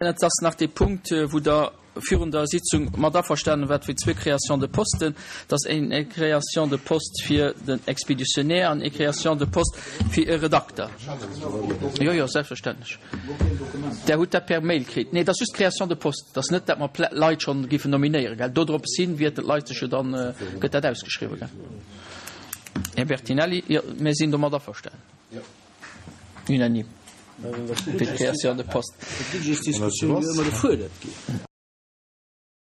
Et ass nach dee Punkt, wou Der virun der Sitzung mat averstanen waart, fir zwee Créations de posten. Dat ass eng Création de poste fir den Expéditionnaire an eng Création de poste fir e Redakter. Jo, jo, selbstverständlech. Der hutt dat per Mail kritt. Nee, dat ass just d'Création de poste. Dat ass net, dat mer Leit schonn géifen nominéieren, gell. Dodrops hin wierten d'Leit sech jo dann, gëtt dat ausgeschriwwen, gell. Här Bertinelli, jo, mir sinn domat averstanen. Unanime. Fir d'Création de poste.